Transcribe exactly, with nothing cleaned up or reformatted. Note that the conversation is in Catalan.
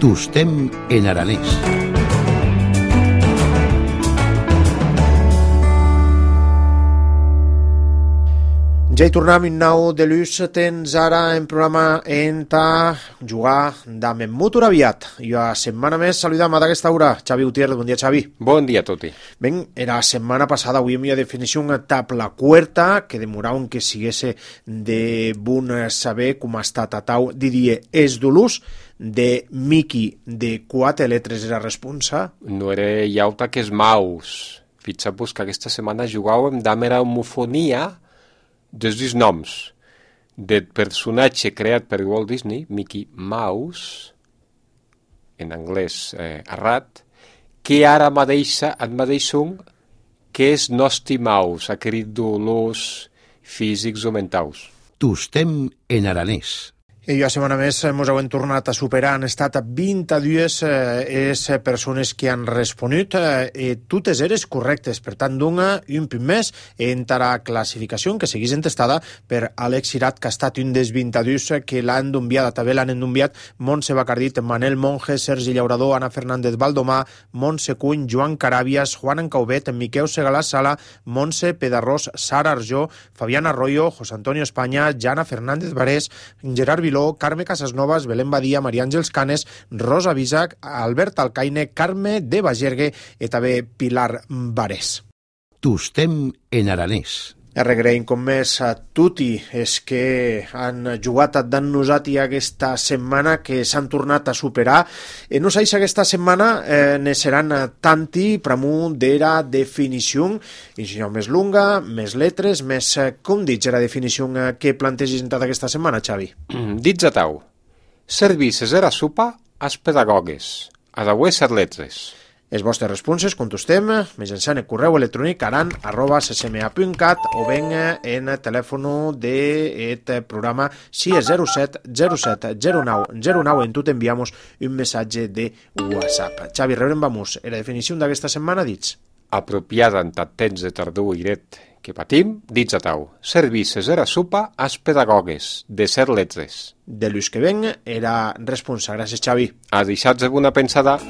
Tostem en aranès. Ja hi tornem un nou de l'ús, tens ara en programa en ta jugar d'am en mutur aviat. I a setmana més saludam a d'aquesta hora. Xavi Gutiérrez, bon dia Xavi. Bon dia a tutti. Ben, era setmana passada, avui havia definició una tabla quarta que demoraven que siguesse de bon saber com ha estat a tau, diria, és d'olús de Miki de quatre letres era responsa. No era llauta que és maus. Fixeu-vos que aquesta setmana jugàvem d'am era homofonia dels dos noms del personatge creat per Walt Disney, Mickey Mouse, en anglès eh, errat, que ara mateix et mateix un que és Nosti Mouse, aquest dolors físics o mentals. Tostem en aranès. I a setmana més ens hem tornat a superar, han estat vint-i-dues eh, les persones que han responut, eh, totes eres correctes, per tant dona un punt més en la classificació que seguís entestada per Àlex Cirat, que ha estat un dels vint-i-dos que l'han enviat, també l'han enviat Montse Bacardit, Manel Monge, Sergi Llaurador, Ana Fernández Baldomà, Montse Cuny, Joan Carabias, Juan Encauvet, Miquel Segalà Sala, Montse Pedarrós, Sara Arjó, Fabián Arroyo, José Antonio España, Jana Fernández Barés, Gerard Viló, Carme Casasnovas, Belén Badia, Maria Àngels Canes, Rosa Bisac, Albert Alcaine, Carme de Bagergue i també Pilar Barés. Tostem en aranès. Regraïm com més a tutti és que han jugat dan nosati aquesta setmana, que s'han tornat a superar. E no sais aquesta setmana eh, ne seran tanti pramu d'era definició, enginyo més lunga, més letres, més, com dits era definició que plantegis en aquesta setmana, Xavi? Dits a tau. Services era sopa als pedagogues, a d'avui ser letres. Les vostres responses contestem mitjançant el correu electrònic aran arroba ccma punt cat o ben en el telèfon d'aquest programa si és zero set zero set zero nou zero nou en tu t'enviamos un missatge de WhatsApp. Xavi, rebrem vamos. La definició d'aquesta setmana dits. Apropiada en tant temps de tardor i dret que patim, dits a tau. Services era sopa als pedagogues, de ser letres. De l'ús que ven era responsa. Gràcies, Xavi. A deixar-vos una pensada.